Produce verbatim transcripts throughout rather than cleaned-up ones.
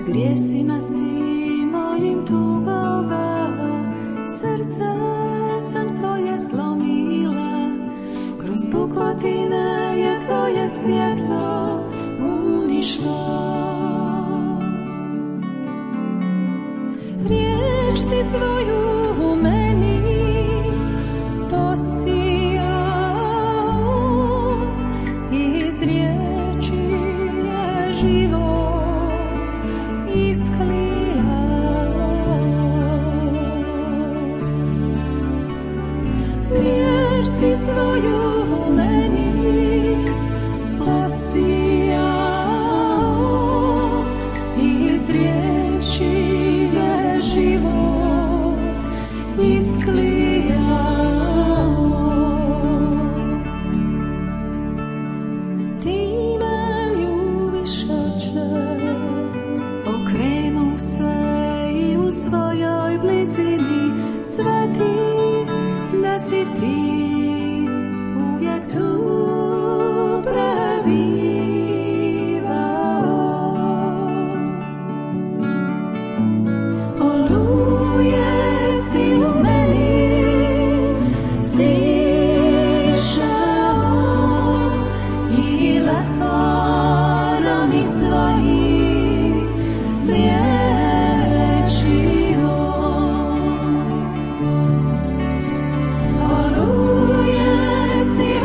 Grijesima si mojim tugovao, srce sam svoje slomila, kroz pukotine je tvoje svjetlo unišlo. Riječ si svoju u meni posijao, iz riječi je život si svoju u meni posijao, iz riječi je život isklijao. Ti me ljubiš, Oče, okrenu se i u svojoj blizini sveti da si ti tu prebivao. Oluje si u meni stišao i lekarami svojih liječio. Oluje si u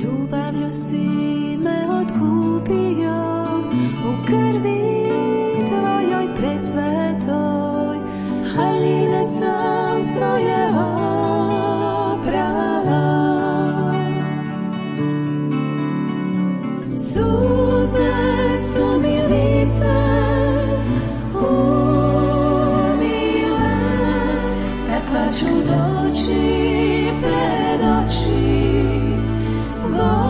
ljubavlju si me otkupio, u krvi tvojoj presvetoj, haljine sam svoje oprala. Suze su mi lice umile, takva ću doći pred oči Gospodnje.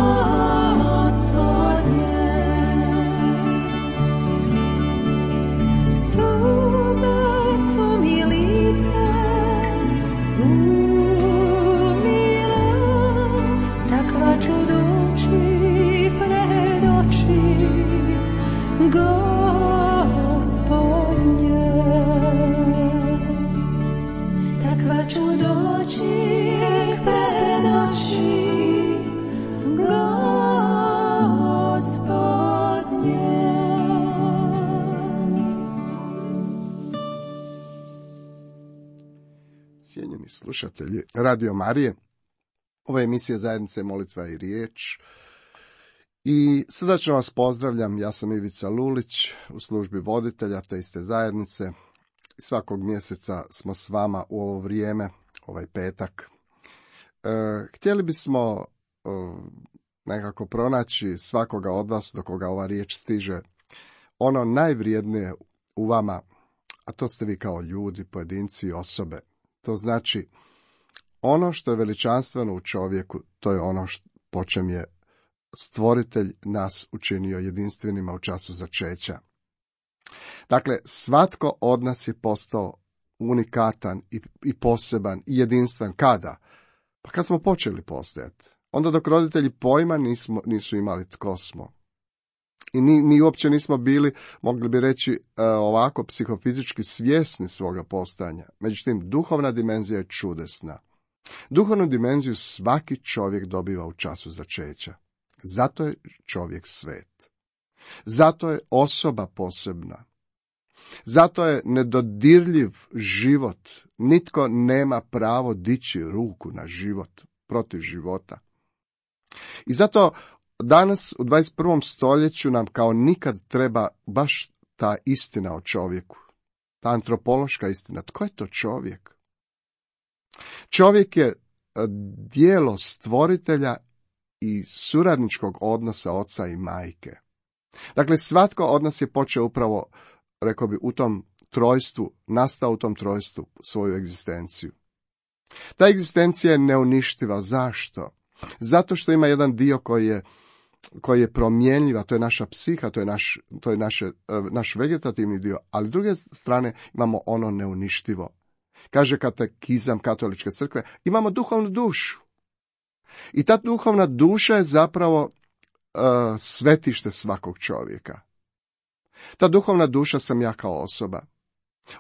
Suze su mi lice umile, takva ću doći pred oči Gospodnje. Takva ću doći pred oči Gospodnje. Cijenjeni slušatelji Radio Marije, ova emisija Zajednice molitva i riječ. I srdačno vas pozdravljam, ja sam Ivica Lulić u službi voditelja te iste zajednice. Svakog mjeseca smo s vama u ovo vrijeme, ovaj petak. E, htjeli bismo e, nekako pronaći svakoga od vas do koga ova riječ stiže, ono najvrijednije u vama, a to ste vi kao ljudi, pojedinci i osobe. To znači, ono što je veličanstveno u čovjeku, to je ono što, po čem je Stvoritelj nas učinio jedinstvenima u času začeća. Dakle, svatko od nas je postao unikatan i, i poseban i jedinstven. Kada? Pa kad smo počeli postojati. Onda dok roditelji pojma nismo, nisu imali tko smo. I mi, mi uopće nismo bili, mogli bi reći, e, ovako psihofizički svjesni svoga postojanja. Međutim, duhovna dimenzija je čudesna. Duhovnu dimenziju svaki čovjek dobiva u času začeća. Zato je čovjek svet. Zato je osoba posebna. Zato je nedodirljiv život. Nitko nema pravo dići ruku na život, protiv života. I zato danas u dvadeset prvom stoljeću nam kao nikad treba baš ta istina o čovjeku. Ta antropološka istina. Tko je to čovjek? Čovjek je djelo stvoritelja i suradničkog odnosa oca i majke. Dakle, svatko od nas je počeo upravo, rekao bi, u tom trojstvu, nastao u tom trojstvu svoju egzistenciju. Ta egzistencija je neuništiva. Zašto? Zato što ima jedan dio koji je, koji je promjenljiva, to je naša psiha, to je, naš, to je naše, naš vegetativni dio, ali s druge strane imamo ono neuništivo. Kaže katekizam Katoličke crkve, imamo duhovnu dušu. I ta duhovna duša je zapravo uh, svetište svakog čovjeka. Ta duhovna duša sam ja kao osoba.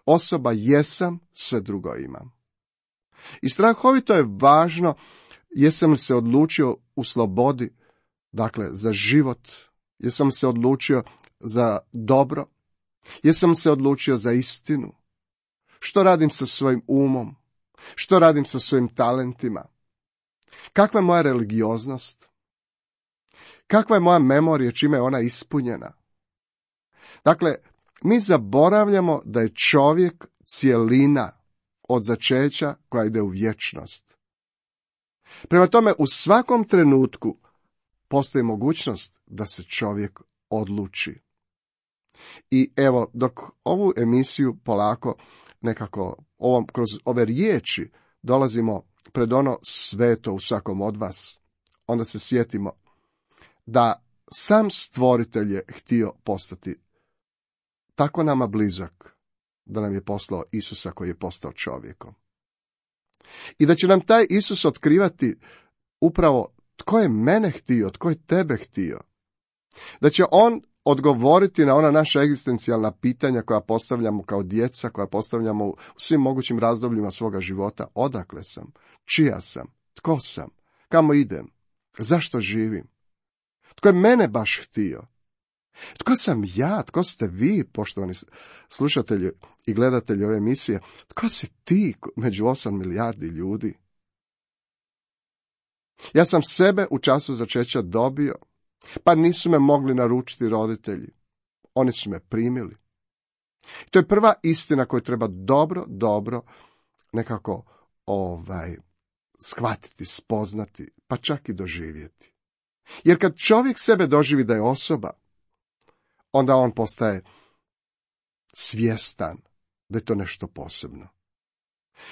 Osoba jesam, sve drugo imam. I strahovito je važno, jesam li se odlučio u slobodi, dakle za život, jesam se odlučio za dobro, jesam se odlučio za istinu. Što radim sa svojim umom? Što radim sa svojim talentima? Kakva je moja religioznost? Kakva je moja memorija, čime je ona ispunjena? Dakle, mi zaboravljamo da je čovjek cjelina od začeća koja ide u vječnost. Prema tome, u svakom trenutku postoji mogućnost da se čovjek odluči. I evo, dok ovu emisiju polako nekako ovom, kroz ove riječi dolazimo pred ono sveto u svakom od vas, onda se sjetimo da sam stvoritelj je htio postati tako nama blizak, da nam je poslao Isusa koji je postao čovjekom. I da će nam taj Isus otkrivati upravo tko je mene htio, tko je tebe htio. Da će on odgovoriti na ona naša egzistencijalna pitanja koja postavljamo kao djeca, koja postavljamo u svim mogućim razdobljima svoga života. Odakle sam? Čija sam? Tko sam? Kamo idem? Zašto živim? Tko je mene baš htio? Tko sam ja? Tko ste vi, poštovani slušatelji i gledatelji ove emisije? Tko si ti među osam milijardi ljudi? Ja sam sebe u času začeća dobio, pa nisu me mogli naručiti roditelji. Oni su me primili. To je prva istina koju treba dobro, dobro nekako ovaj, shvatiti, spoznati, pa čak i doživjeti. Jer kad čovjek sebe doživi da je osoba, onda on postaje svjestan da je to nešto posebno.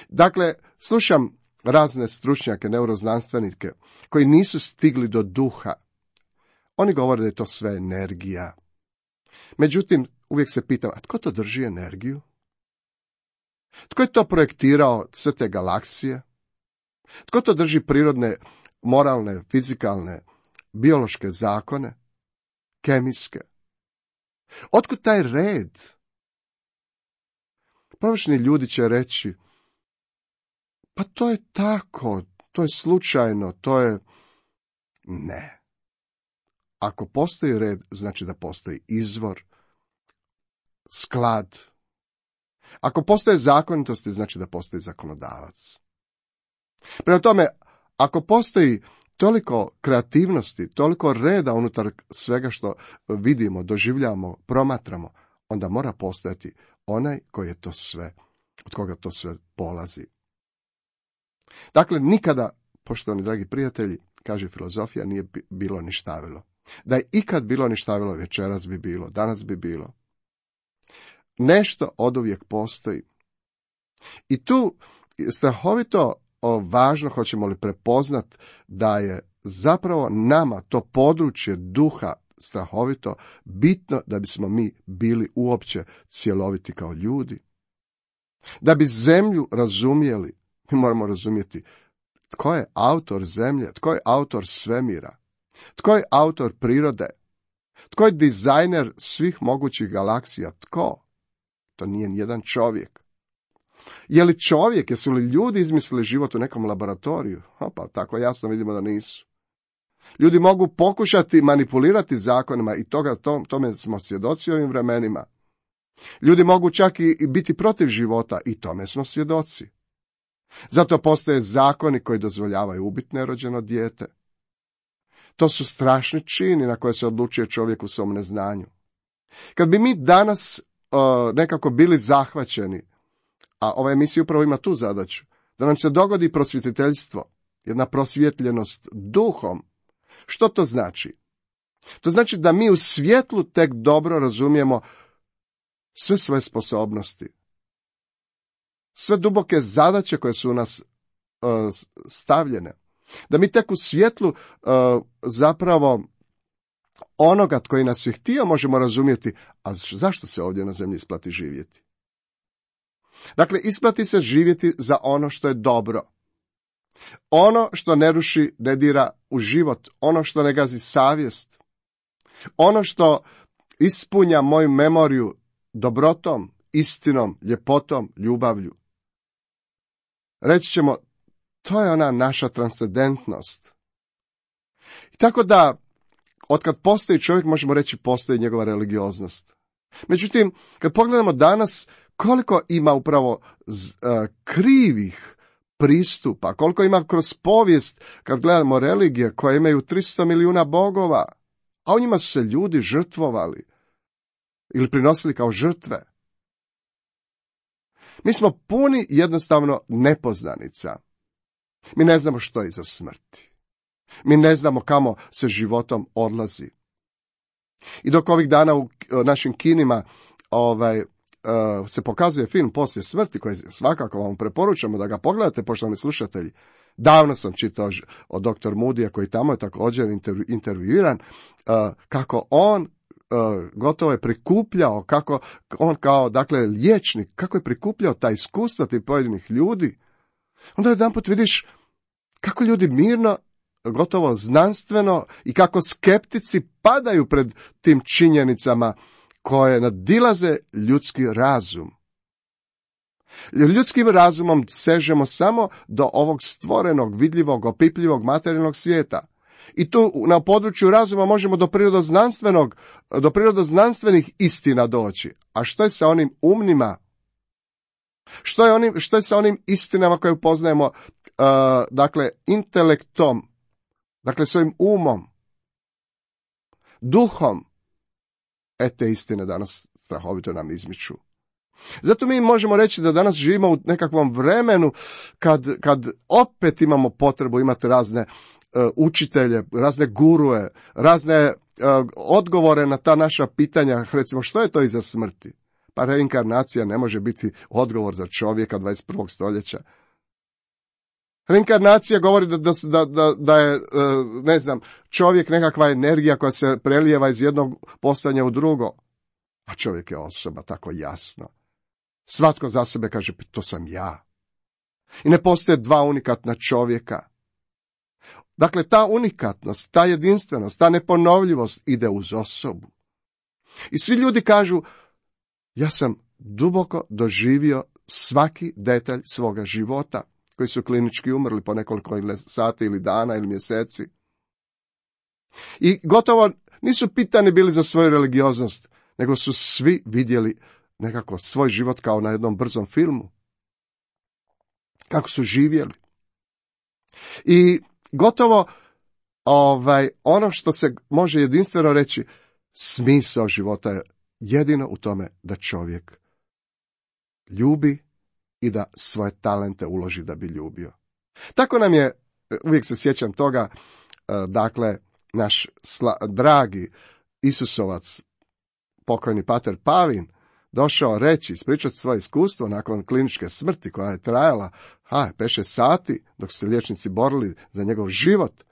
Dakle, slušam razne stručnjake, neuroznanstvenike, koji nisu stigli do duha. Oni govore da je to sve energija. Međutim, uvijek se pitam, a tko to drži energiju? Tko je to projektirao sve te galaksije? Tko to drži prirodne, moralne, fizikalne, biološke zakone, kemijske? Otkud taj red? Površni ljudi će reći, pa to je tako, to je slučajno, to je... Ne. Ako postoji red, znači da postoji izvor, sklad. Ako postoje zakonitosti, znači da postoji zakonodavac. Prema tome, ako postoji toliko kreativnosti, toliko reda unutar svega što vidimo, doživljamo, promatramo, onda mora postojati onaj koji je to sve, od koga to sve polazi. Dakle, nikada, poštovani dragi prijatelji, kaže filozofija, nije bilo ništavilo. Da je ikad bilo ništavilo, večeras bi bilo, danas bi bilo. Nešto oduvijek postoji. I tu strahovito važno, hoćemo li prepoznat da je zapravo nama to područje duha strahovito bitno da bismo mi bili uopće cjeloviti kao ljudi. Da bi zemlju razumjeli, mi moramo razumjeti tko je autor zemlje, tko je autor svemira, tko je autor prirode, tko je dizajner svih mogućih galaksija, tko? To nije nijedan čovjek. Je li čovjek, jesu li ljudi izmislili život u nekom laboratoriju? O, pa tako jasno vidimo da nisu. Ljudi mogu pokušati manipulirati zakonima i toga, to, tome smo svjedoci u ovim vremenima. Ljudi mogu čak i biti protiv života i tome smo svjedoci. Zato postoje zakoni koji dozvoljavaju ubiti nerođeno dijete. To su strašni čini na koje se odlučuje čovjek u svom neznanju. Kad bi mi danas uh, nekako bili zahvaćeni, a ova emisija upravo ima tu zadaću, da nam se dogodi prosvjetiteljstvo, jedna prosvjetljenost duhom. Što to znači? To znači da mi u svjetlu tek dobro razumijemo sve svoje sposobnosti, sve duboke zadaće koje su u nas uh, stavljene. Da mi tek u svjetlu uh, zapravo onoga koji nas je htio možemo razumjeti, a zašto se ovdje na zemlji isplati živjeti? Dakle, isplati se živjeti za ono što je dobro. Ono što ne ruši, ne dira u život, ono što ne gazi savjest, ono što ispunja moju memoriju dobrotom, istinom, ljepotom, ljubavlju. Reći ćemo, to je ona naša transcendentnost. I tako da, otkad postoji čovjek, možemo reći, postoji njegova religioznost. Međutim, kad pogledamo danas, koliko ima upravo uh, krivih pristupa, koliko ima kroz povijest, kad gledamo religije koje imaju tristo milijuna bogova, a u njima su se ljudi žrtvovali ili prinosili kao žrtve. Mi smo puni jednostavno nepoznanica. Mi ne znamo što je iza smrti. Mi ne znamo kamo se životom odlazi. I dok ovih dana u našim kinima ovaj, uh, se pokazuje film Poslije smrti, koji svakako vam preporučamo da ga pogledate, poštovani slušatelji. Davno sam čitao od doktor Moodyja, koji tamo je također intervju, intervjuiran, uh, kako on uh, gotovo je prikupljao, kako on kao, dakle, liječnik, kako je prikupljao ta iskustva tih pojedinih ljudi. Onda jedanput vidiš kako ljudi mirno, gotovo znanstveno i kako skeptici padaju pred tim činjenicama koje nadilaze ljudski razum. Ljudskim razumom sežemo samo do ovog stvorenog, vidljivog, opipljivog materijalnog svijeta. I tu na području razuma možemo do prirodoznanstvenog, do prirodoznanstvenih istina doći. A što je sa onim umnima? Što je, onim, što je sa onim istinama koje upoznajemo, uh, dakle, intelektom, dakle, svojim umom, duhom? E, te istine danas strahovito nam izmiču. Zato mi možemo reći da danas živimo u nekakvom vremenu kad, kad opet imamo potrebu imati razne uh, učitelje, razne gurue, razne uh, odgovore na ta naša pitanja. Recimo, što je to iza smrti? Pa reinkarnacija ne može biti odgovor za čovjeka dvadeset prvog stoljeća. Reinkarnacija govori da, da, da, da je, ne znam, čovjek nekakva energija koja se prelijeva iz jednog postojanja u drugo. A čovjek je osoba, tako jasno. Svatko za sebe kaže, to sam ja. I ne postoje dva unikatna čovjeka. Dakle, ta unikatnost, ta jedinstvenost, ta neponovljivost ide uz osobu. I svi ljudi kažu, ja sam duboko doživio svaki detalj svoga života, koji su klinički umrli po nekoliko sati ili dana ili mjeseci. I gotovo nisu pitani bili za svoju religioznost, nego su svi vidjeli nekako svoj život kao na jednom brzom filmu. Kako su živjeli. I gotovo ovaj, ono što se može jedinstveno reći, smisao života je jedino u tome da čovjek ljubi i da svoje talente uloži da bi ljubio. Tako nam je, uvijek se sjećam toga, dakle, naš sla, dragi Isusovac, pokojni pater Pavin, došao reći, ispričati svoje iskustvo nakon kliničke smrti koja je trajala, ha, pet šest sati, dok su se liječnici borili za njegov život,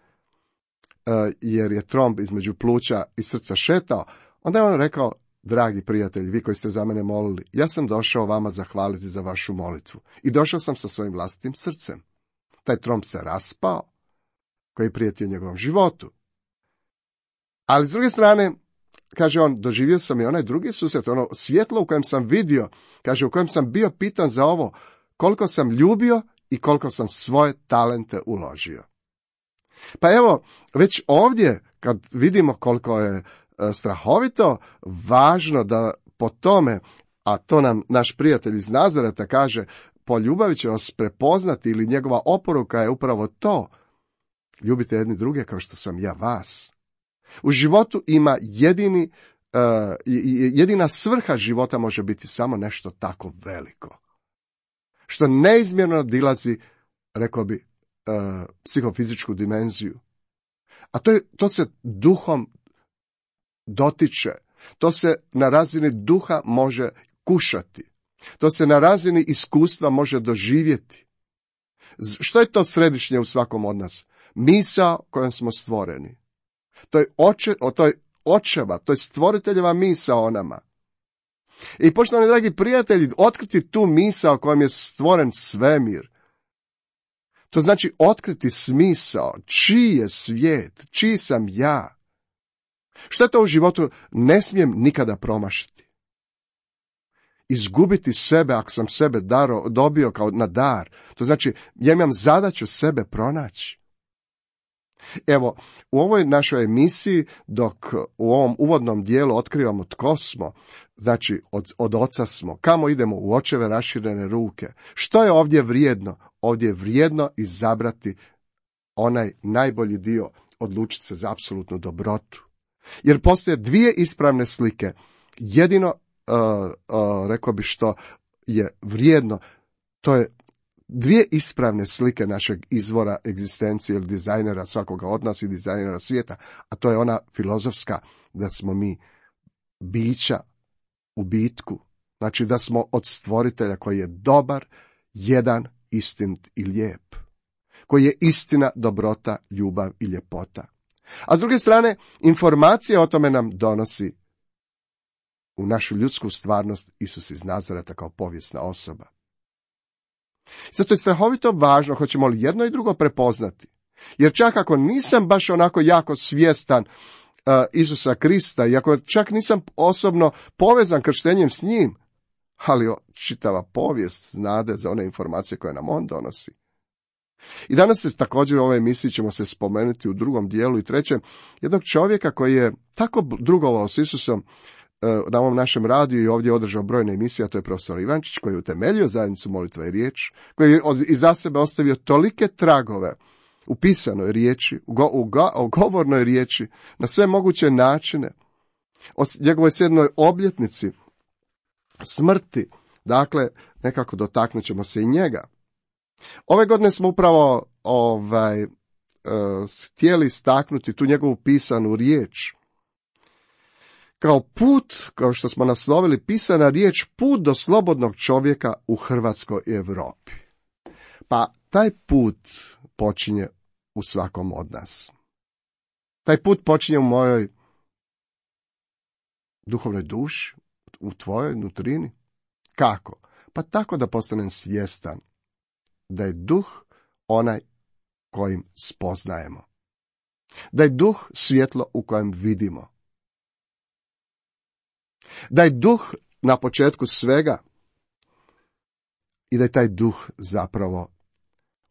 jer je tromb između pluća i srca šetao. Onda je on rekao, dragi prijatelji, vi koji ste za mene molili, ja sam došao vama zahvaliti za vašu molitvu. I došao sam sa svojim vlastitim srcem. Taj tromb se raspao, koji je prijetio njegovom životu. Ali s druge strane, kaže on, doživio sam i onaj drugi susret, ono svjetlo u kojem sam vidio, kaže, u kojem sam bio pitan za ovo, koliko sam ljubio i koliko sam svoje talente uložio. Pa evo, već ovdje, kad vidimo koliko je strahovito važno da po tome, a to nam naš prijatelj iz Nazareta kaže, po ljubavi će vas prepoznati, ili njegova oporuka je upravo to, Ljubite jedni druge kao što sam ja vas. U životu ima jedini, uh, jedina svrha života može biti samo nešto tako veliko, što neizmjerno dilazi, rekao bi, uh, psihofizičku dimenziju. A to, je, to se duhom dotiče, to se na razini duha može kušati, to se na razini iskustva može doživjeti. Što je to središnje u svakom od nas? Misao kojom smo stvoreni. To je, oče, to je očeva, to je stvoriteljeva misao o nama. I poštovani dragi prijatelji, otkriti tu misao kojom je stvoren svemir. To znači otkriti smisao, čiji je svijet, čiji sam ja. Što je to u životu ne smijem nikada promašiti. Izgubiti sebe ako sam sebe daro, dobio kao na dar. To znači ja imam zadaću sebe pronaći. Evo, u ovoj našoj emisiji, dok u ovom uvodnom dijelu otkrivamo tko smo, znači od, od oca smo, kamo idemo, u očeve raširene ruke. Što je ovdje vrijedno? Ovdje je vrijedno izabrati onaj najbolji dio, odlučiti se za apsolutnu dobrotu. Jer postoje dvije ispravne slike. Jedino, uh, uh, rekao bi što je vrijedno, to je dvije ispravne slike našeg izvora egzistencije ili dizajnera svakoga od nas i dizajnera svijeta, a to je ona filozofska da smo mi bića u bitku, znači da smo od stvoritelja koji je dobar, jedan, istinit i lijep, koji je istina, dobrota, ljubav i ljepota. A s druge strane, informacija o tome nam donosi u našu ljudsku stvarnost Isus iz Nazareta kao povijesna osoba. Zato je strahovito važno, hoćemo li jedno i drugo prepoznati. Jer čak ako nisam baš onako jako svjestan uh, Isusa Krista, i ako čak nisam osobno povezan krštenjem s njim, ali čitava povijest znade za one informacije koje nam on donosi. I danas se također u ovoj emisiji ćemo se spomenuti u drugom dijelu i trećem jednog čovjeka koji je tako drugovao s Isusom na ovom našem radiju i ovdje održao brojne emisije, a to je profesor Ivančić, koji je utemeljio zajednicu Molitva i riječ, koji je iza sebe ostavio tolike tragove u pisanoj riječi, u, go, u, go, u govornoj riječi, na sve moguće načine, o njegovoj sedmoj obljetnici smrti, dakle, nekako dotaknut ćemo se i njega. Ove godine smo upravo ovaj, uh, htjeli staknuti tu njegovu pisanu riječ, kao put, kao što smo naslovili, pisana riječ, put do slobodnog čovjeka u Hrvatskoj i Europi. Pa taj put počinje u svakom od nas. Taj put počinje u mojoj duhovnoj duši, u tvojoj nutrini. Kako? Pa tako da postanem svjestan da je duh onaj kojim spoznajemo. Da je duh svjetlo u kojem vidimo. Da je duh na početku svega i da je taj duh zapravo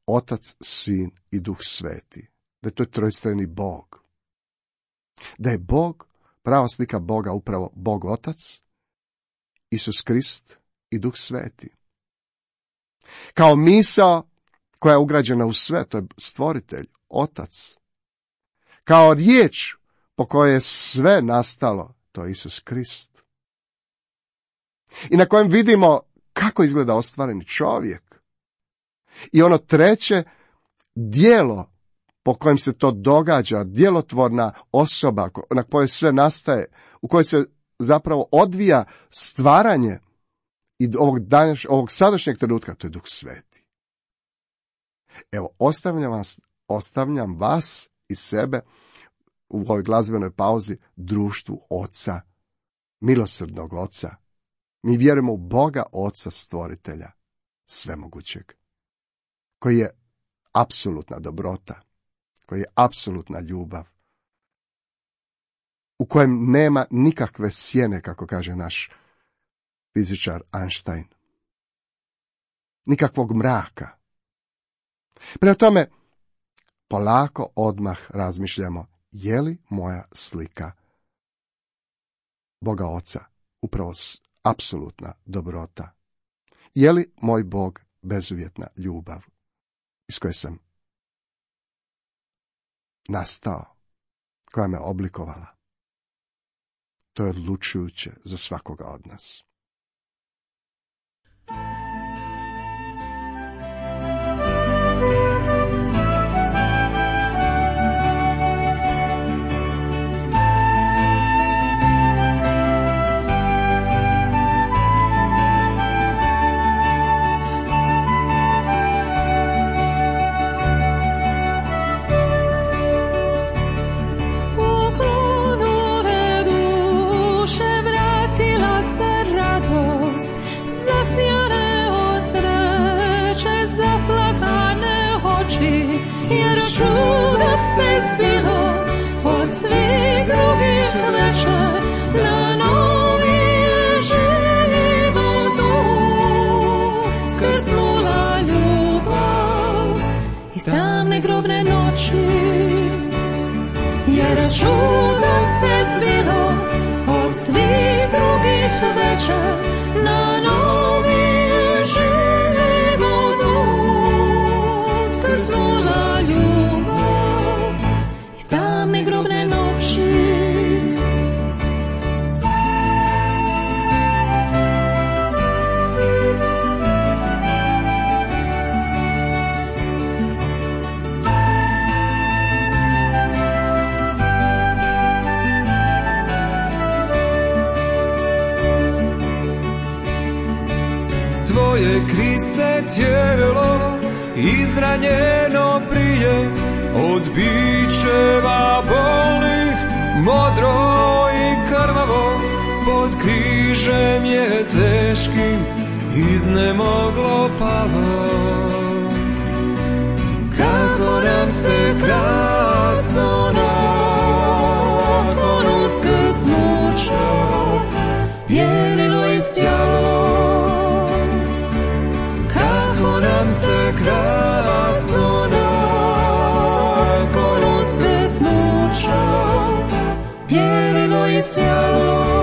Otac, Sin i Duh Sveti. Da je to trojstveni Bog. Da je Bog, prava slika Boga, upravo Bog Otac, Isus Krist i Duh Sveti. Kao misao koja je ugrađena u sve, to je stvoritelj, Otac. Kao riječ po kojoj je sve nastalo, to je Isus Krist. I na kojem vidimo kako izgleda ostvareni čovjek. I ono treće, djelo po kojem se to događa, djelotvorna osoba na kojoj sve nastaje, u kojoj se zapravo odvija stvaranje i ovog, danješ, ovog sadašnjeg trenutka, to je Duh Sveti. Evo, ostavljam vas, ostavljam vas i sebe u ovoj glazbenoj pauzi društvu Oca, milosrdnog Oca. Mi vjerujemo u Boga Oca stvoritelja, svemogućeg, koji je apsolutna dobrota, koji je apsolutna ljubav, u kojem nema nikakve sjene, kako kaže naš fizičar Einstein. Nikakvog mraka. Prema tome, polako odmah razmišljamo, je li moja slika Boga Oca upravo apsolutna dobrota? Je li moj Bog bezuvjetna ljubav iz koje sam nastao, koja me oblikovala. To je odlučujuće za svakoga od nas. Jer čudo sve zbilo od svih drugih večer, na novi je život skrsnula ljubav iz tamne grobne noći. Jer čudo sve zbilo od svih drugih večer, na novi je život skrsnula ljubav iz tamne grobne noći. Tvoje, Kriste, tijelo izranjeno prije od bičeva bolnih, modro i krvavo pod križem je teškim iznemoglo palo. Kako nam se krasno nakon uskrsnuća bijelilo i sjalo. Kako nam se krasno nakon uskrsnuća bijelilo i sjalo.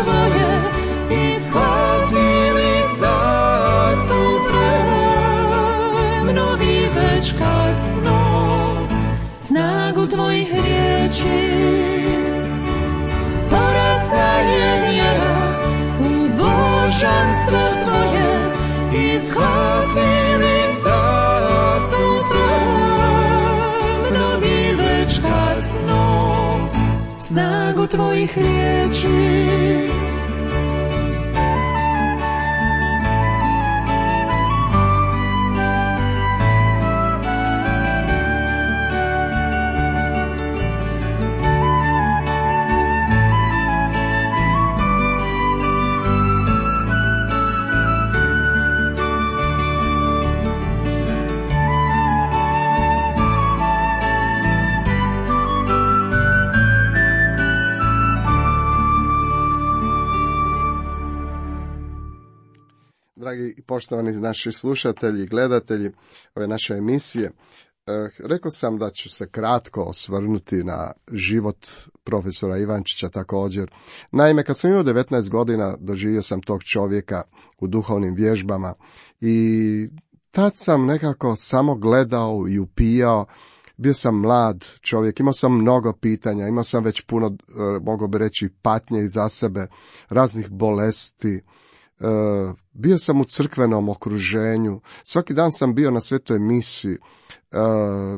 Tvoje i shvatili sad su premnogi već kasno snagu tvojih riječi. Porasla je vjera u božanstvo tvoje i shvatili sad su premnogi već kasno snagu tvojih riječi. Dragi i poštovani naši slušatelji i gledatelji ove naše emisije, eh, rekao sam da ću se kratko osvrnuti na život profesora Ivančića također. Naime, kad sam imao devetnaest godina, doživio sam tog čovjeka u duhovnim vježbama i tad sam nekako samo gledao i upijao. Bio sam mlad čovjek, imao sam mnogo pitanja, imao sam već puno, eh, mogu bi reći, patnje iza sebe, raznih bolesti. Uh, bio sam u crkvenom okruženju, svaki dan sam bio na svetoj misiji, uh,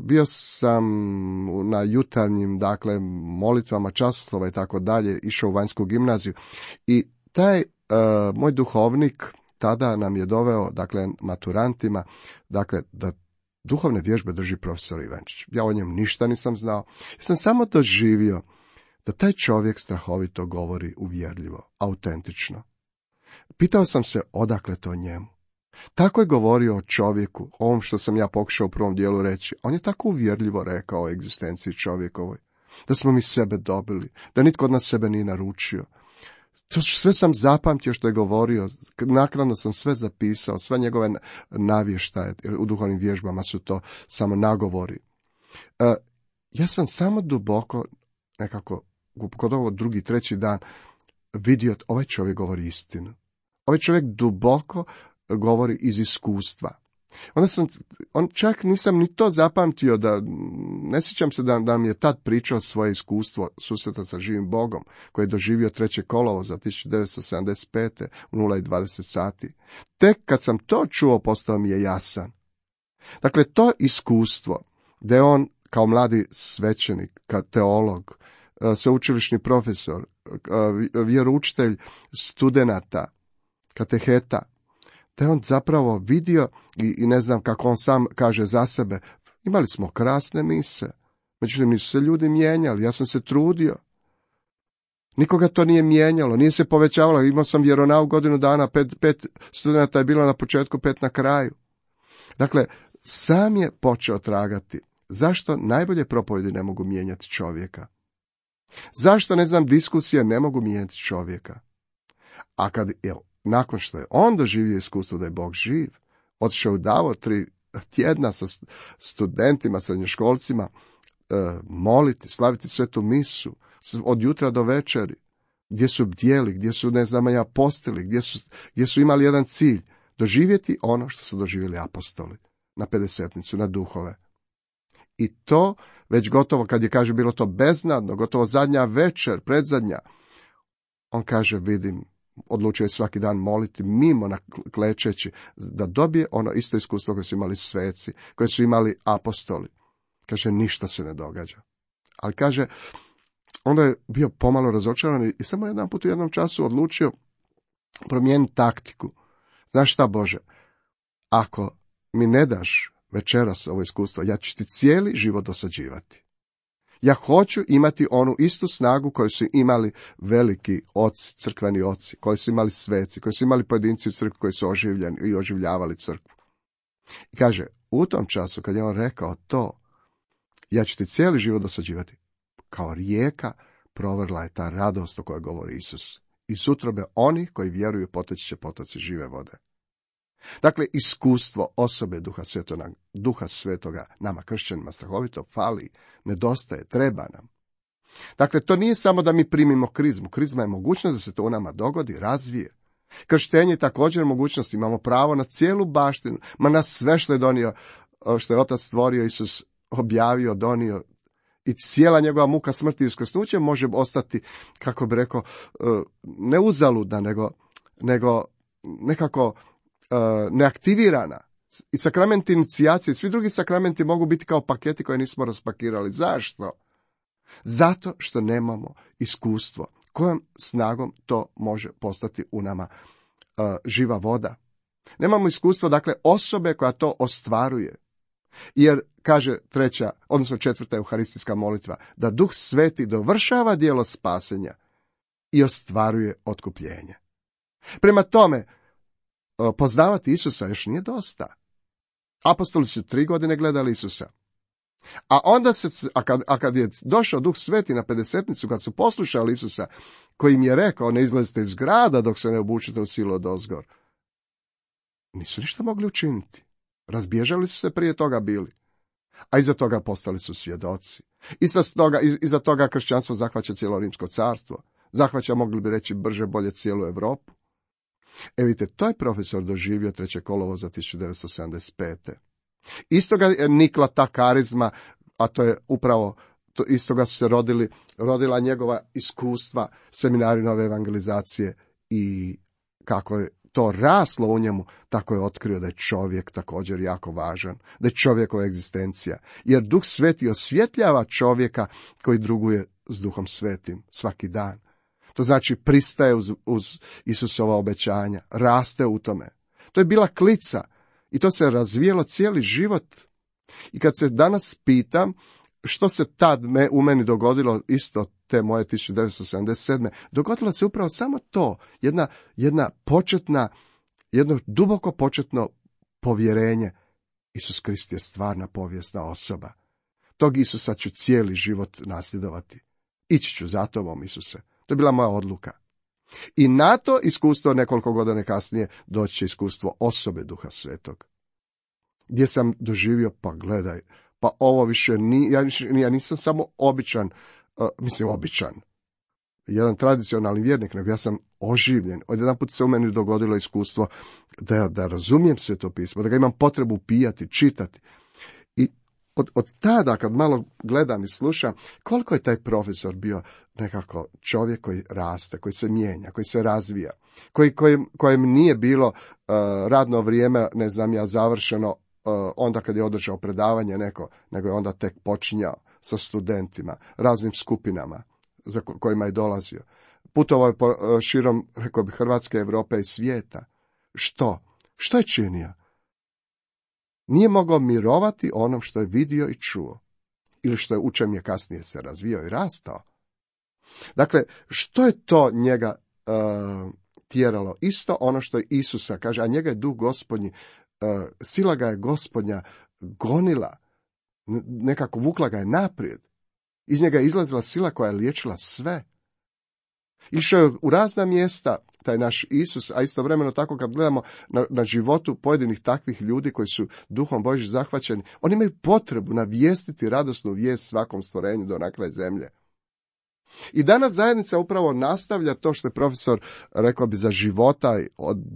bio sam na jutarnjim, dakle, molitvama, časoslova i tako dalje, išao u vanjsku gimnaziju i taj uh, moj duhovnik tada nam je doveo, dakle, maturantima, dakle, da duhovne vježbe drži profesor Ivančić. Ja o njem ništa nisam znao, ja sam samo doživio da taj čovjek strahovito govori uvjerljivo, autentično. Pitao sam se odakle to njemu. Tako je govorio o čovjeku, ovom što sam ja pokušao u prvom dijelu reći. On je tako uvjerljivo rekao o egzistenciji čovjekovoj, da smo mi sebe dobili, da nitko od nas sebe nije naručio. To sve sam zapamtio što je govorio, naknadno sam sve zapisao, sve njegove navještaje, u duhovnim vježbama su to samo nagovori. E, ja sam samo duboko, nekako, kod ovo drugi, treći dan, vidio, ovaj čovjek govori istinu. Ovaj čovjek duboko govori iz iskustva. Onda sam, on čak nisam ni to zapamtio, da ne sjećam se da, da mi je tad pričao svoje iskustvo susreta sa živim Bogom, koji je doživio treće kolovoza tisuću devetsto sedamdeset pete u nula dvadeset sati. Tek kad sam to čuo, postao mi je jasan. Dakle, to iskustvo, da je on kao mladi svećenik, kao teolog, sveučilišni profesor, vjeroučitelj studenata, kateheta, da je on zapravo vidio, i, i ne znam kako on sam kaže za sebe, imali smo krasne mise, međutim nisu se ljudi mijenjali, ja sam se trudio. Nikoga to nije mijenjalo, nije se povećavalo, imao sam vjeronauk godinu dana, pet, pet studenta je bilo na početku, pet na kraju. Dakle, sam je počeo tragati. Zašto najbolje propovjedi ne mogu mijenjati čovjeka? Zašto, ne znam, diskusije ne mogu mijenjati čovjeka? A kad, evo, nakon što je on doživio iskustvo da je Bog živ, otišao u Davor tri tjedna sa studentima, srednjoškolcima, e, moliti, slaviti svetu misu, od jutra do večeri, gdje su bdjeli, gdje su, ne znam, ja apostoli, gdje su, gdje su imali jedan cilj, doživjeti ono što su doživjeli apostoli, na pedesetnicu, na duhove. I to, već gotovo, kad je, kaže, bilo to beznadno, gotovo zadnja večer, predzadnja, on kaže, vidim, odlučio je svaki dan moliti mimo na klečeći, da dobije ono isto iskustvo koje su imali sveci, koje su imali apostoli. Kaže, ništa se ne događa. Ali kaže, onda je bio pomalo razočaran i samo jedan put u jednom času odlučio promijeniti taktiku. Znaš šta, Bože, ako mi ne daš večeras ovo iskustvo, ja ću ti cijeli život dosađivati. Ja hoću imati onu istu snagu koju su imali veliki oci, crkveni oci, koji su imali sveci, koji su imali pojedinci u crkvi koji su oživljeni i oživljavali crkvu. I kaže, u tom času kad je on rekao to, ja ću ti cijeli život dosađivati, kao rijeka provrla je ta radost o kojoj govori Isus. Iz utrobe onih koji vjeruju poteći će potoci žive vode. Dakle, iskustvo osobe Duha Svetoga, Duha Svetoga nama kršćanima strahovito fali, nedostaje, treba nam. Dakle, to nije samo da mi primimo krizmu. Krizma je mogućnost da se to u nama dogodi, razvije. Krštenje je također mogućnost, imamo pravo na cijelu baštinu, ma na sve što je donio, što je Otac stvorio, Isus objavio, donio, i cijela njegova muka smrti i uskrsnuće može ostati, kako bi rekao, ne uzaludna, nego, nego nekako neaktivirana. I sakramenti inicijacije, svi drugi sakramenti mogu biti kao paketi koje nismo raspakirali. Zašto? Zato što nemamo iskustvo. Kojom snagom to može postati u nama uh, živa voda? Nemamo iskustvo, dakle, osobe koja to ostvaruje. Jer, kaže treća, odnosno četvrta euharistijska molitva, da Duh Sveti dovršava djelo spasenja i ostvaruje otkupljenje. Prema tome, poznavati Isusa još nije dosta. Apostoli su tri godine gledali Isusa. A onda se, a kad, a kad je došao Duh Sveti na pedesetnicu, kad su poslušali Isusa, koji im je rekao, ne izlazite iz grada dok se ne obučite u silu odozgor, nisu ništa mogli učiniti. Razbježali su se prije toga bili. A iza toga postali su svjedoci. Iza toga, iza toga kršćanstvo zahvaća cijelo Rimsko carstvo. Zahvaća, mogli bi reći, brže bolje cijelu Europu. E vidite, to je profesor doživio treće kolovoza tisuću devetsto sedamdeset pete. Istoga je nikla ta karizma, a to je upravo, to istoga su se rodili, rodila njegova iskustva seminari nove evangelizacije i kako je to raslo u njemu, tako je otkrio da je čovjek također jako važan, da je čovjekova egzistencija. Jer Duh Sveti osvjetljava čovjeka koji druguje s Duhom Svetim svaki dan. To znači pristaje uz, uz Isusova obećanja, raste u tome. To je bila klica i to se razvijelo cijeli život. I kad se danas pitam što se tad me, u meni dogodilo isto te moje tisuću devetsto sedamdeset sedme. dogodilo se upravo samo to, jedna, jedna početna, jedno duboko početno povjerenje. Isus Krist je stvarna povijesna osoba. Tog Isusa ću cijeli život nasljedovati. Ići ću za tobom, Isuse. To je bila moja odluka. I na to iskustvo nekoliko godina kasnije doći će iskustvo osobe Duha Svetog. Gdje sam doživio, pa gledaj, pa ovo više ni, ja, ja nisam samo običan, uh, mislim običan, jedan tradicionalni vjernik, nego ja sam oživljen. Odjedanput se u meni dogodilo iskustvo da, da razumijem Sveto pismo, da ga imam potrebu pijati, čitati. I od, od tada, kad malo gledam i slušam, koliko je taj profesor bio nekako čovjek koji raste, koji se mijenja, koji se razvija, koji, kojem, kojem nije bilo uh, radno vrijeme, ne znam ja, završeno uh, onda kad je održao predavanje neko, nego je onda tek počinjao sa studentima, raznim skupinama za kojima je dolazio. Putovao je po širom, rekao bi, Hrvatske, Europe i svijeta. Što? Što je činio? Nije mogao mirovati onom što je vidio i čuo. Ili što je u čem je kasnije se razvio i rastao. Dakle, što je to njega uh, tjeralo? Isto ono što je Isusa kaže, a njega je duh Gospodnji, uh, sila ga je Gospodnja gonila, nekako vukla ga je naprijed. Iz njega je izlazila sila koja je liječila sve. Išao je u razna mjesta, taj naš Isus, a istovremeno tako kad gledamo na, na životu pojedinih takvih ljudi koji su duhom Božjim zahvaćeni, oni imaju potrebu navijestiti radosnu vijest svakom stvorenju do na kraj zemlje. I danas zajednica upravo nastavlja to što je profesor, rekao bi, za života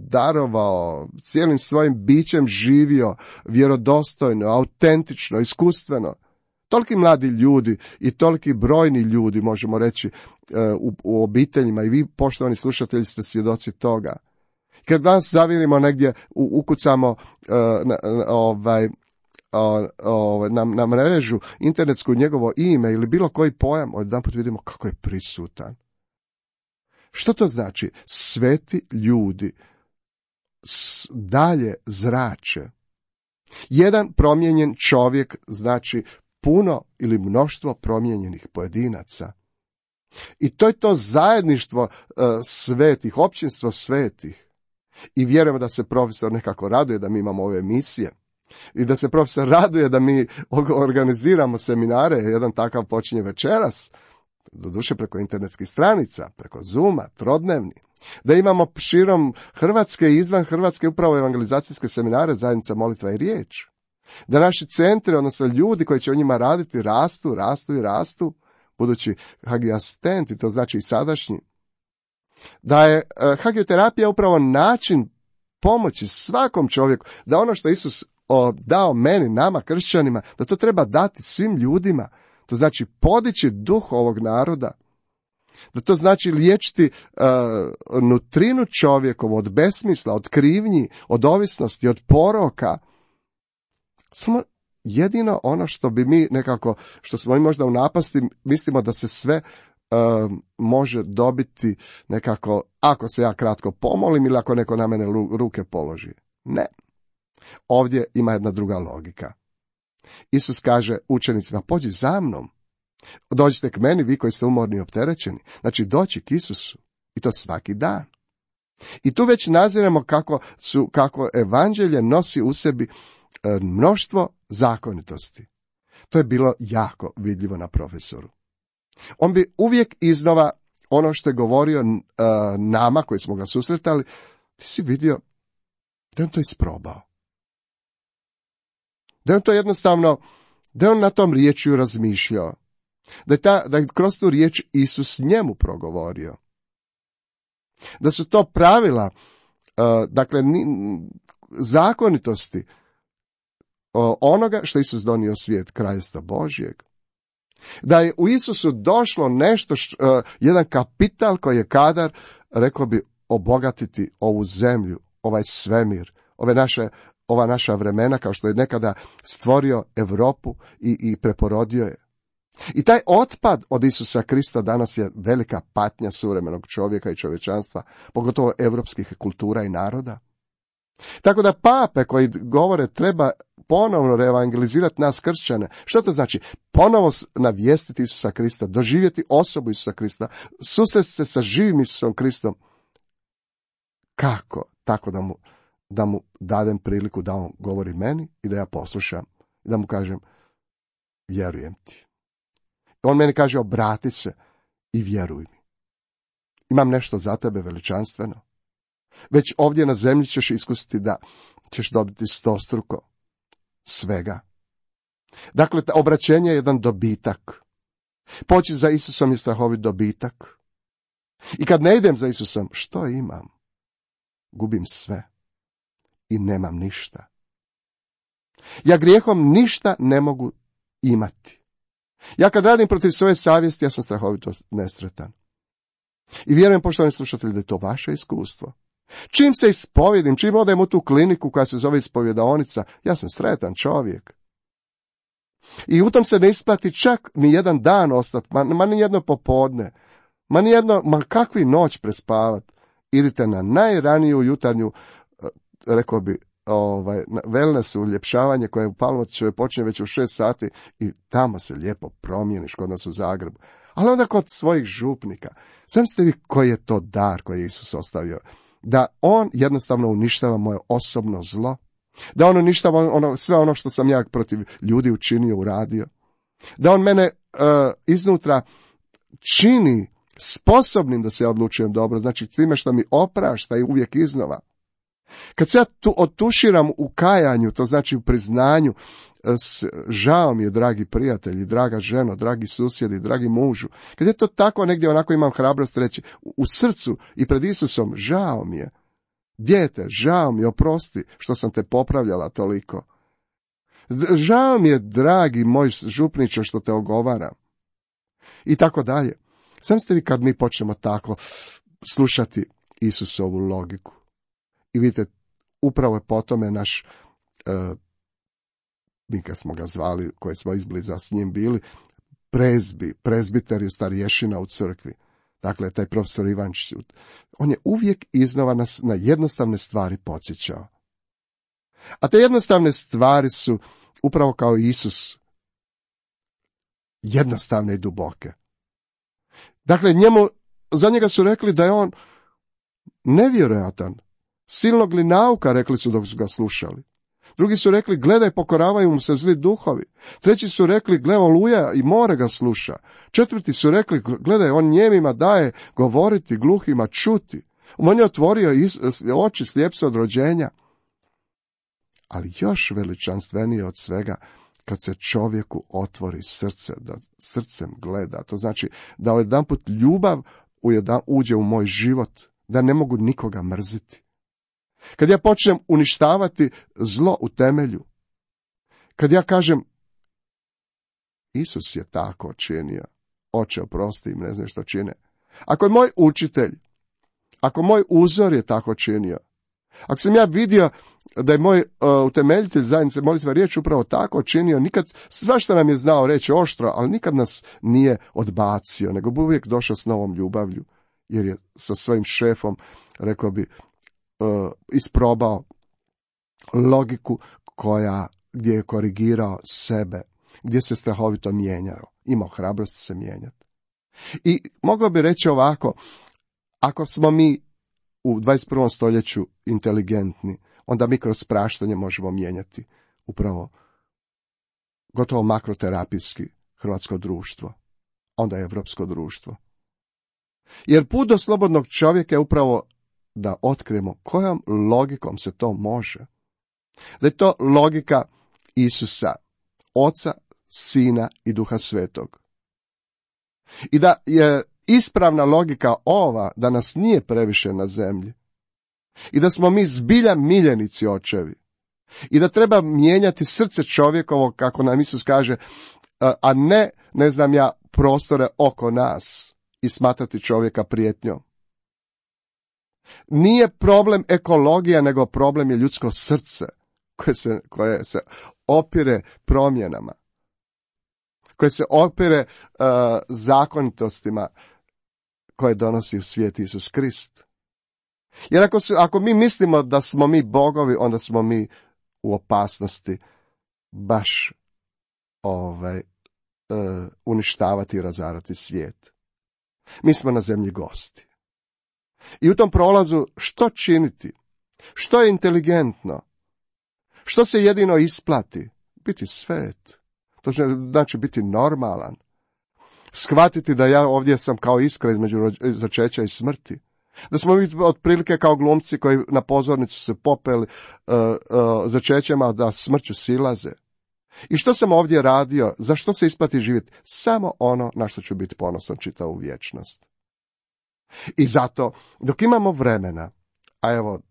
darovao, cijelim svojim bićem živio, vjerodostojno, autentično, iskustveno. Toliki mladi ljudi i toliki brojni ljudi, možemo reći, u, u obiteljima, i vi, poštovani slušatelji, ste svjedoci toga. Kad danas zavirimo negdje, ukucamo uh, na, ovaj, uh, uh, na, na mrežu internetsku njegovo ime ili bilo koji pojam, odjedanput vidimo kako je prisutan. Što to znači? Sveti ljudi dalje zrače. Jedan promijenjen čovjek znači puno ili mnoštvo promijenjenih pojedinaca. I to je to zajedništvo uh, svetih, općinstvo svetih. I vjerujemo da se profesor nekako raduje da mi imamo ove emisije. I da se profesor raduje da mi organiziramo seminare, jedan takav počinje večeras, doduše preko internetskih stranica, preko Zooma, trodnevni. Da imamo širom Hrvatske i izvan Hrvatske upravo evangelizacijske seminare, zajednica molitva i riječ. Da naši centri, odnosno ljudi koji će o njima raditi, rastu, rastu i rastu, budući hagiasistenti, to znači i sadašnji. Da je uh, hagioterapija upravo način pomoći svakom čovjeku, da ono što Isus o, dao meni, nama, kršćanima, da to treba dati svim ljudima. To znači podići duh ovog naroda. Da to znači liječiti uh, nutrinu čovjekovu od besmisla, od krivnji, od ovisnosti, od poroka. Samo jedino ono što bi mi nekako, što smo mi možda u napasti, mislimo da se sve uh, može dobiti nekako, ako se ja kratko pomolim ili ako neko na mene ruke položi. Ne. Ovdje ima jedna druga logika. Isus kaže učenicima, pođi za mnom. Dođite k meni, vi koji ste umorni i opterećeni. Znači, doći k Isusu. I to svaki dan. I tu već naziremo kako, su, kako evanđelje nosi u sebi mnoštvo zakonitosti. To je bilo jako vidljivo na profesoru. On bi uvijek iznova ono što je govorio uh, nama koji smo ga susretali, ti si vidio da on to isprobao. Da on to jednostavno, da on na tom riječju razmišljao. Da je, ta, da je kroz tu riječ Isus njemu progovorio. Da su to pravila, uh, dakle, ni, zakonitosti uh, onoga što Isus donio svijet, Kraljestva Božjeg. Da je u Isusu došlo nešto, š, uh, jedan kapital koji je kadar, rekao bi, obogatiti ovu zemlju, ovaj svemir, ove naše, ova naša vremena, kao što je nekada stvorio Europu i, i preporodio je. I taj otpad od Isusa Krista danas je velika patnja suvremenog čovjeka i čovječanstva, pogotovo europskih kultura i naroda. Tako da pape koji govore treba ponovno reevangelizirati nas kršćane. Što to znači? Ponovo navijestiti Isusa Krista, doživjeti osobu Isusa Krista, susresti se sa živim Isusom Kristom. Kako? Tako da mu, da mu dadem priliku da on govori meni i da ja poslušam. I da mu kažem, vjerujem ti. On meni kaže, obrati se i vjeruj mi. Imam nešto za tebe veličanstveno. Već ovdje na zemlji ćeš iskusiti da ćeš dobiti stostruko svega. Dakle, obraćenje je jedan dobitak. Poći za Isusom je strahovit dobitak. I kad ne idem za Isusom, što imam? Gubim sve i nemam ništa. Ja grijehom ništa ne mogu imati. Ja kad radim protiv svoje savjesti, ja sam strahovito nesretan. I vjerujem, poštovani slušatelji, da je to vaše iskustvo. Čim se ispovjedim, čim odem u tu kliniku koja se zove ispovjedaonica, ja sam sretan čovjek. I u tom se ne isplati čak ni jedan dan ostati, ma, ma ni jedno popodne, ma ni jedno, ma kakvi noć prespavat. Idite na najraniju jutarnju, rekao bi, ovaj, wellness uljepšavanje koje u Palmotićevoj počinje već u šest sati i tamo se lijepo promijeniš kod nas u Zagrebu. Ali onda kod svojih župnika. Zamislite vi koji je to dar koji je Isus ostavio. Da on jednostavno uništava moje osobno zlo. Da on uništava ono, sve ono što sam ja protiv ljudi učinio, uradio. Da on mene uh, iznutra čini sposobnim da se ja odlučujem dobro. Znači time što mi oprašta i uvijek iznova. Kad se ja tu otuširam u kajanju, to znači u priznanju, žao mi je, dragi prijatelji, draga ženo, dragi susjedi, dragi mužu. Kad je to tako, negdje onako imam hrabrost reći, u srcu i pred Isusom, žao mi je. Dijete, žao mi je, oprosti što sam te popravljala toliko. Žao mi je, dragi moj župniče, što te ogovaram. I tako dalje. Sam ste vi kad mi počnemo tako slušati Isusovu logiku. I vidite, upravo je po tome naš, uh, mi kad smo ga zvali, koji smo izbliza s njim bili, prezbi, prezbiter je starješina u crkvi. Dakle, taj profesor Ivančić, on je uvijek iznova nas na jednostavne stvari podsjećao. A te jednostavne stvari su, upravo kao Isus, jednostavne i duboke. Dakle, njemu, za njega su rekli da je on nevjerojatan, silnog li nauka, rekli su dok su ga slušali. Drugi su rekli, gledaj, pokoravaju mu se zli duhovi. Treći su rekli, gle, oluja i more ga sluša. Četvrti su rekli, gledaj, on njemima daje govoriti, gluhima čuti. On je otvorio oči, slijep se od rođenja. Ali još veličanstvenije od svega, kad se čovjeku otvori srce, da srcem gleda. To znači da jedanput ljubav uđe u moj život, da ne mogu nikoga mrziti. Kad ja počnem uništavati zlo u temelju, kad ja kažem, Isus je tako činio, oče oprosti im, ne znam što čine. Ako je moj učitelj, ako moj uzor je tako činio, ako sam ja vidio da je moj uh, utemeljitelj zajednice molitva riječ upravo tako činio, nikad, svašta nam je znao reći oštro, ali nikad nas nije odbacio, nego bi uvijek došao s novom ljubavlju, jer je sa svojim šefom, rekao bi, uh, isprobao logiku koja, gdje je korigirao sebe, gdje se strahovito mijenjao, imao hrabrost se mijenjati. I mogao bi reći ovako, ako smo mi u dvadeset prvom stoljeću inteligentni, onda mi kroz praštanje možemo mijenjati upravo gotovo makroterapijski hrvatsko društvo, onda je evropsko društvo. Jer put do slobodnog čovjeka je upravo da otkrijemo kojom logikom se to može. Da je to logika Isusa, Oca, Sina i Duha Svetog. I da je ispravna logika ova, da nas nije previše na zemlji. I da smo mi zbilja miljenici očevi. I da treba mijenjati srce čovjekovo, kako nam Isus kaže, a ne, ne znam ja, prostore oko nas i smatrati čovjeka prijetnjom. Nije problem ekologija, nego problem je ljudsko srce koje se, koje se opire promjenama, koje se opire uh, zakonitostima koje donosi u svijet Isus Krist. Jer ako, su, ako mi mislimo da smo mi bogovi, onda smo mi u opasnosti baš ovaj, uh, uništavati i razarati svijet. Mi smo na zemlji gosti. I u tom prolazu što činiti? Što je inteligentno? Što se jedino isplati? Biti svet. To znači biti normalan. Shvatiti da ja ovdje sam kao iskra između začeća i smrti. Da smo mi otprilike kao glumci koji na pozornicu se popeli uh, uh, začećem, a da smrću silaze. I što sam ovdje radio? Za što se isplati živjeti? Samo ono na što ću biti ponosan čitavu vječnost. I zato, dok imamo vremena, a evo,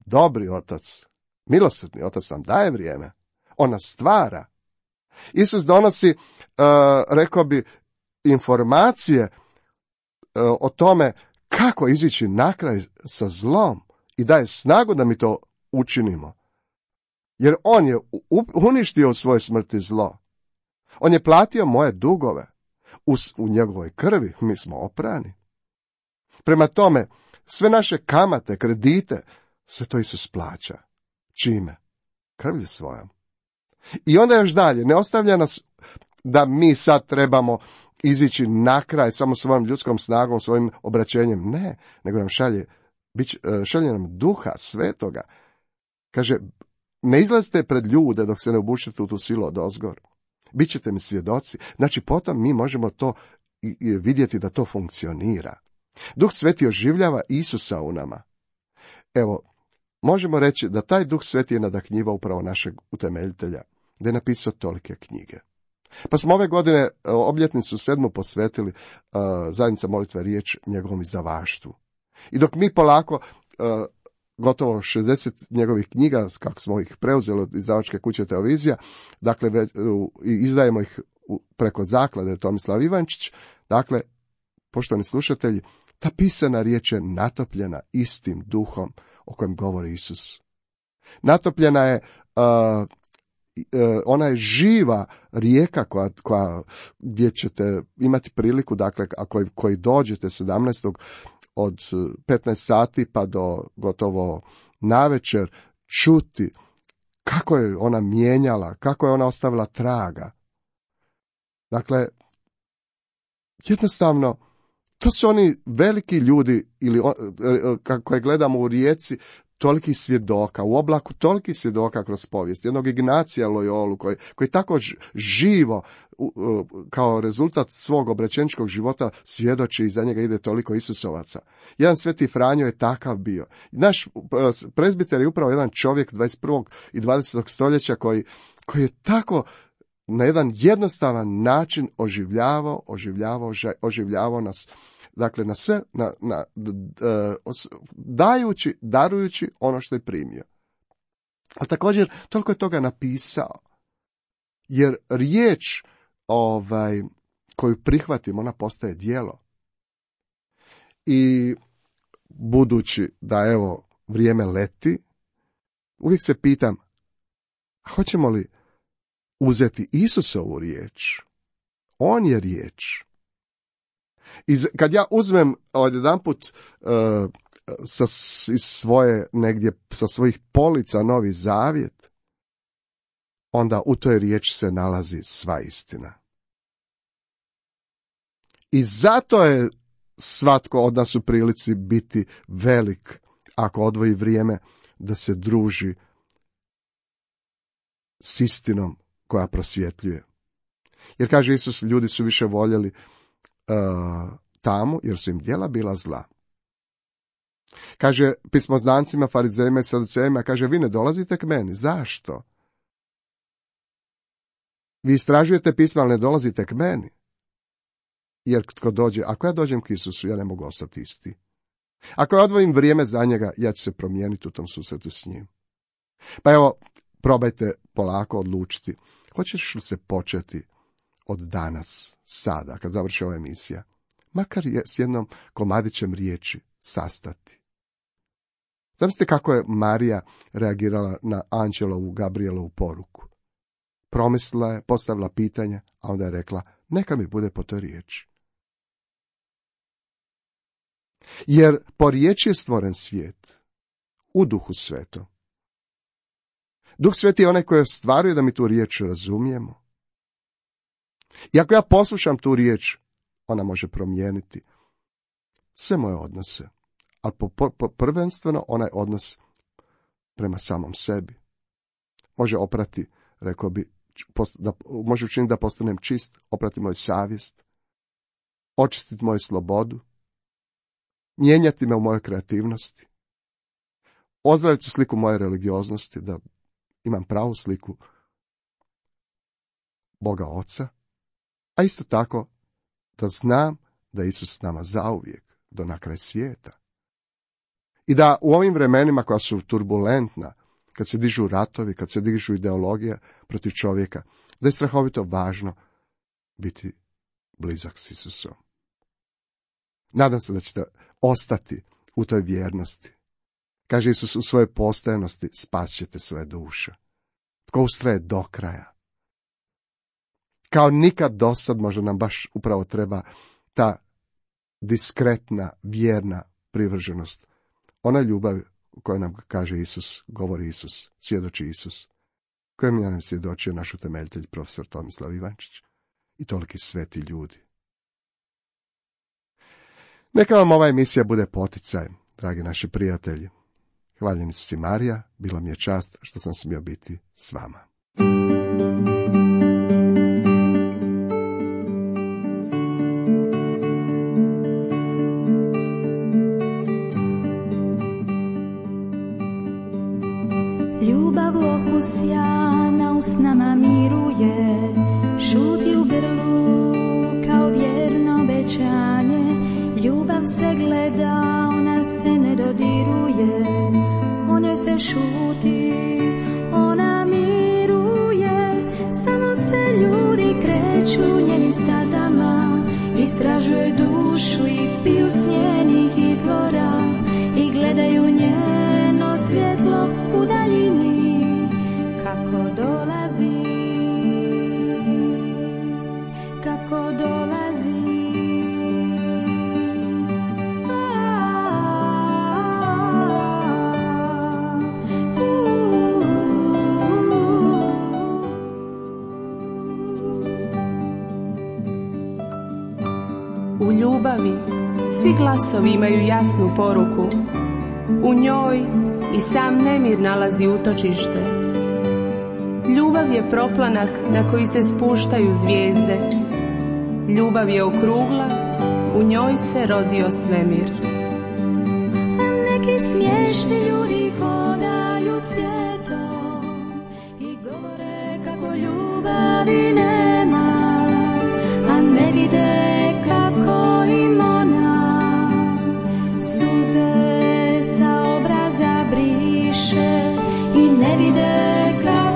dobri otac, milosrdni otac nam daje vrijeme, on nas stvara. Isus donosi, uh, rekao bi, informacije uh, o tome kako izići na kraj sa zlom i daje snagu da mi to učinimo. Jer on je uništio u svojoj smrti zlo. On je platio moje dugove. U, u njegovoj krvi mi smo oprani. Prema tome, sve naše kamate, kredite, sve to Isus plaća. Čime? Krvlju svojom. I onda još dalje, ne ostavlja nas da mi sad trebamo izići na kraj samo svojom ljudskom snagom, svojim obraćenjem. Ne, nego nam šalje, šalje nam Duha Svetoga. Kaže, ne izlazite pred ljude dok se ne obučete u tu silu odozgor. Bićete mi svjedoci. Znači, potom mi možemo to i, i vidjeti da to funkcionira. Duh Sveti oživljava Isusa u nama. Evo, možemo reći da taj Duh Sveti je nadahnjivao upravo našeg utemeljitelja, da je napisao tolike knjige. Pa smo ove godine obljetnicu sedmu posvetili uh, zajednica molitva riječ njegovom izdavaštvu. I dok mi polako uh, gotovo šezdeset njegovih knjiga, kako smo ih preuzeli od izdavačke kuće Teovizija, dakle već, uh, izdajemo ih preko zaklade Tomislav Ivančić, dakle, poštovani slušatelji, ta pisana riječ je natopljena istim duhom o kojem govori Isus. Natopljena je, uh, uh, ona je živa rijeka koja, koja, gdje ćete imati priliku, dakle, ako koji dođete sedamnaestog od petnaest sati pa do gotovo navečer, čuti kako je ona mijenjala, kako je ona ostavila traga. Dakle, jednostavno, to su oni veliki ljudi, ili koje gledamo u rijeci, toliki svjedoka, u oblaku toliki svjedoka kroz povijest. Jednog Ignacija Loyolu, koji, koji tako živo, kao rezultat svog obraćeničkog života, svjedoči i za njega ide toliko Isusovaca. Jedan Sveti Franjo je takav bio. Naš prezbiter je upravo jedan čovjek dvadeset prvog i dvadesetog stoljeća koji, koji je tako na jedan jednostavan način oživljavao, oživljavao, oživljavao nas, dakle na sve, na, na, dajući, darujući ono što je primio. A također, toliko je toga napisao, jer riječ ovaj, koju prihvatimo, ona postaje djelo. I budući da, evo, vrijeme leti, uvijek se pitam, hoćemo li uzeti Isusovu riječ? On je riječ. I kad ja uzmem odjedanput uh, sa iz svoje negdje sa svojih polica Novi Zavjet, onda u toj riječi se nalazi sva istina. I zato je svatko od nas u prilici biti velik ako odvoji vrijeme da se druži s istinom koja prosvjetljuje. Jer kaže Isus, ljudi su više voljeli uh, tamo, jer su im djela bila zla. Kaže pismoznancima, farizejima i saducejima, kaže, vi ne dolazite k meni. Zašto? Vi istražujete pisma, ali ne dolazite k meni. Jer tko dođe, ako ja dođem k Isusu, ja ne mogu ostati isti. Ako ja odvojim vrijeme za njega, ja ću se promijeniti u tom susretu s njim. Pa evo, probajte polako odlučiti. Hoćeš li se početi od danas, sada, kad završi ova emisija, makar je s jednom komadićem riječi sastati. Zamislite kako je Marija reagirala na Anđelovu, Gabrielovu poruku. Promislila je, postavila pitanje, a onda je rekla, neka mi bude po toj riječi. Jer po riječi je stvoren svijet, u Duhu Svetom. Duh Sveti je onaj koji ostvaruje da mi tu riječ razumijemo. I ako ja poslušam tu riječ, ona može promijeniti sve moje odnose, ali po, po, po prvenstveno onaj odnos prema samom sebi. Može oprati, rekao bi, da, može učiniti da postanem čist, oprati moju savjest, očistiti moju slobodu, mijenjati me u mojoj kreativnosti, ozdraviti sliku moje religioznosti, da imam pravu sliku Boga Oca, a isto tako da znam da je Isus s nama zauvijek, do na kraj svijeta. I da u ovim vremenima koja su turbulentna, kad se dižu ratovi, kad se dižu ideologije protiv čovjeka, da je strahovito važno biti blizak s Isusom. Nadam se da ćete ostati u toj vjernosti. Kaže Isus, u svojoj postojanosti spasit ćete svoje duše. Tko ustraje do kraja. Kao nikad dosad možda nam baš upravo treba ta diskretna, vjerna privrženost. Ona ljubav u kojoj nam kaže Isus, govori Isus, svjedoči Isus, kojem je nam svjedočio naš utemeljitelj profesor Tomislav Ivančić i toliki sveti ljudi. Neka vam ova emisija bude poticaj, dragi naši prijatelji. Hvaljen Isus i Marija, bila mi je čast što sam smio biti s vama. Ljubav okus sjana usnama miruje, šuti u grlu kao vjerno obećanje. Ljubav se gleda, ona se ne dodiruje, o njoj se šuti, ona miruje. Samo se ljudi kreću njenim stazama, istražuju dušu i piju s njenih izvora i gledaju njeno svjetlo u daljini kako dolazi, kako dolazi. U ljubavi svi glasovi imaju jasnu poruku. U njoj i sam nemir nalazi utočište. Ljubav je proplanak na koji se spuštaju zvijezde. Ljubav je okrugla, u njoj se rodio svemir. A neki smiješni ljudi hodaju svijetom i govore kako ljubavi nema, a ne vide kako im ona suze sa obraza briše i ne vide kako